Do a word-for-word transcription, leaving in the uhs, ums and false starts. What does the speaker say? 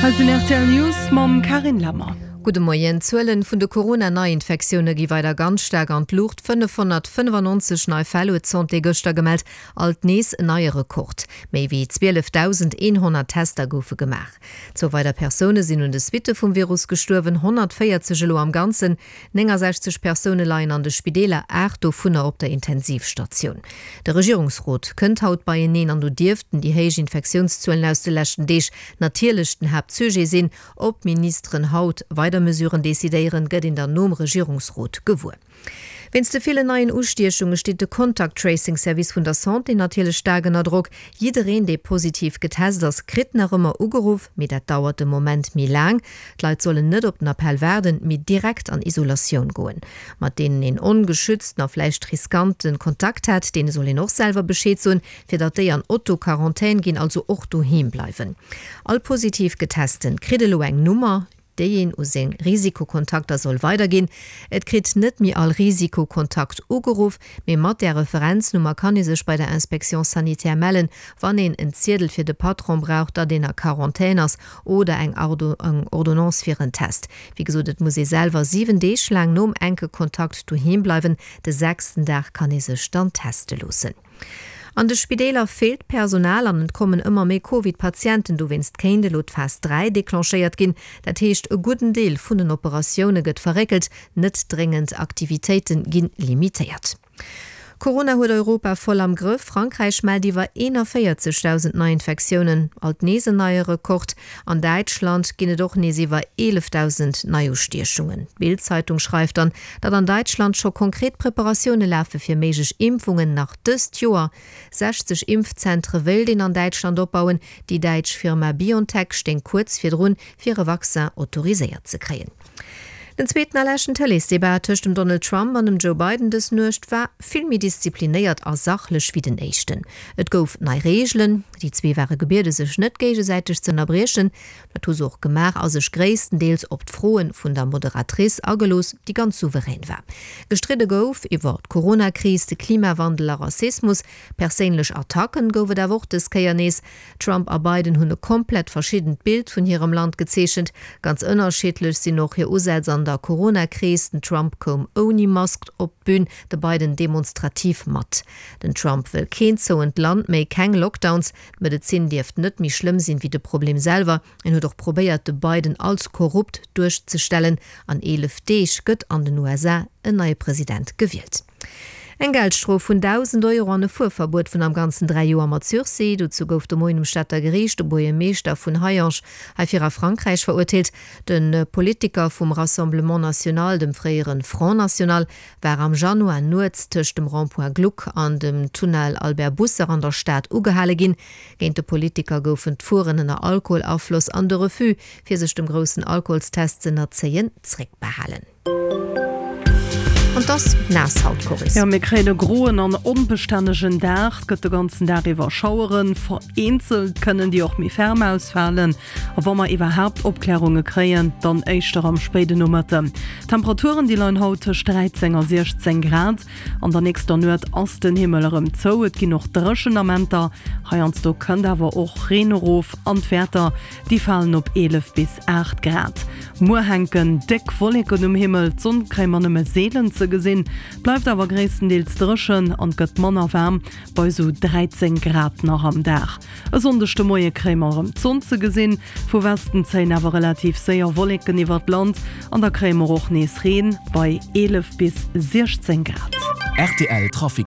Hei sinn rtl News mam Carine Lemmer. Gudde Moien. D'Zuelen vun de Corona-Neiinfektioune gi weider ganz staark an d'Luucht. fënnefhonnertfënnefannonzeg nei Fäll huet d'Santé gëschter gemellt, alt nees en neie Rekord. Méi wéi zwielefdausendeenhonnert Tester goufe gemaach. Zwou weider Persoune sinn un de Suitte vum Virus gestuerwen, honnertvéierzeg elo am Ganzen. Néngasechzeg Persoune leien an de Spideeler, aacht dovunner op der Intensivstatioun. De Regierungsrot kënnt haut beieneen an do dierften déi héich Infektiounszuelen aus de leschten Deeg natierlech den Haaptsujet sinn. Ob d'Ministeren haut weider Mesuren decidéieren, gëtt een dann nom Regierungsrot gewuer. Wéinst de villen neien Ustiechunge steet de Contact-Tracing-Service vun der Santé natierlech staark ënner Drock. Jiddereen, dee positiv getest ass, kritt nach ëmmer ugeruff, mee dat dauert de Moment méi laang. D'Leit sollen net op den Appell waarden, mee direkt an Isolatioun goen. Mat deenen een ongeschützten a vläicht riskante Kontakt hat, deene soll een och selwer Bescheed soen, fir datt déi an Auto-Quarantän ginn, also och doheem bleiwen. All positiv Getesten kritt elo eng Nummer, déi een u seng Risikokontakter soll weiderginn. Et kritt net méi all Risikokontakt ugeruff, mee mat där Referenznummer kann ee sech bei der Inspection sanitaire mellen, wann een en Ziedel fir de Patron brauch, datt een a Quarantän ass oder eng Ordonnance fir en Test. Wéi gesot, et muss ee selwer siwen Deeg laang nom enke Kontakt doheem bleiwen. De sechsten Dag kann ee sech dann teste loossen. An de Spideeler feelt Personal an et kommen ëmmer méi Covid-Patienten. Dowéinst kéint elo d'Phas dräi declenchéiert ginn. Dat heescht, e gudden Deel vun den Operatioune gëtt verréckelt, net dréngend Aktivitéite gi limitéiert. Corona huet Europa voll am Grëff, Frankräich mellt iwwer eenanvéierzegdausend Neiinfektiounen, alt nees en neie Rekord. An Däitschland ginn et och nees iwwer eelefdausend Neiustiechungen. D'Bild-Zeitung schreift dann, datt an Däitschland scho konkret Preparatioune lafe fir méiglech Impfungen nach dëst Joer. sechzeg Impfzentre wéilt een an Däitschland opbauen. Déi däitsch Firma BioNTech stéing kuerz virdrun, fir e Vaccin autoriséiert ze kréien. Den zweeten a leschten Tëleesdebat tëscht dem Donald Trump an dem Joe Biden dës Nuecht war vill méi disziplinéiert a sachlech wéi den éischten. Et gouf nei Reegelen, déi zwee ware gebiede sech net géigesäiteg ze ënnerbriechen. Dat hu se och gemaach a sech gréisstendeels op d'Froe vun der Moderatrice agelooss, déi ganz souverän war. Gestridde gouf iwwer d'Coronakris, de Klimawandel a Rassismus. Perséinlech Attacken gouf et awer och dës Kéier nees. Trump a Biden hunn e komplett verschiddent Bild vun hirem Land gezeechent. Ganz ënnerschiddlech sinn och hir Usätz an der Corona-Kris. Den Trump koum ouni Mask op d'Bün, de Biden demonstrativ mat. Den Trump wëll keen zouent Land méi, keng Lockdowns. D'Medezin dierft net méi schlëmm sinn, wéi de Problem selwer. En huet och probéiert, de Biden als korrupt duerchzestellen. An eelef Deeg gëtt an den U S A en neie President gewielt. Eng Geldstrof vun dausend Euro an e Fuerverbuet vun am Ganzen dräi Joer mat Sursis, dozou gouf de Moien um Stater Geriicht de Buergermeeschter vun Hayange hei fir a Frankräich verurteelt. De Politiker vum Rassemblement National, dem fréiere Front National, war am Januar nuets tëscht dem Rond-point Gluck an dem Tunnel Albert Busser an der Stad ugehale ginn. Géint de Politiker goufen d'Fueren ënner Alkoholafloss an de Refus, fir sech dem groussen Alkoholstest z'ënnerzéien, zréckbehalen. An 't ass naass haut, Coris. Jo, mir kréien e groen an onbestännegen Dag. Et gëtt de ganzen Dag iwwer Schaueren, vereenzelt kënnen déi och méi ferm ausfalen. A wa mer iwwerhaapt Opklärunge kréien, dann éischter am spéiden Nomëtten. D'Temperaturen, déi leien haut tëscht dräizéng a siechzéng Grad. An der nächster Nuet ass den Himmel erëm zou, et ginn och dréchen Amenter. Heiansdo kënnt awer och Reen erof an d'Wäerter, déi falen op eelef bis aacht Grad. Muer hänken déck Wolleken um Himmel, d'Sonn kréie mer nëmme seelen ze gesinn, bleift awer gréisstendeels dréchen an gëtt manner waarm, bei esou dräizéng Grad nach am Dag. E Sonndeg de Moie kréie mer erëm d'Sonn ze gesinn, vu Westen zéien awer relativ séier Wolleken iwwert d'Land an da kréie mer och nees Reen bei eelef bis siechzéng Grad. Rtl Trafic.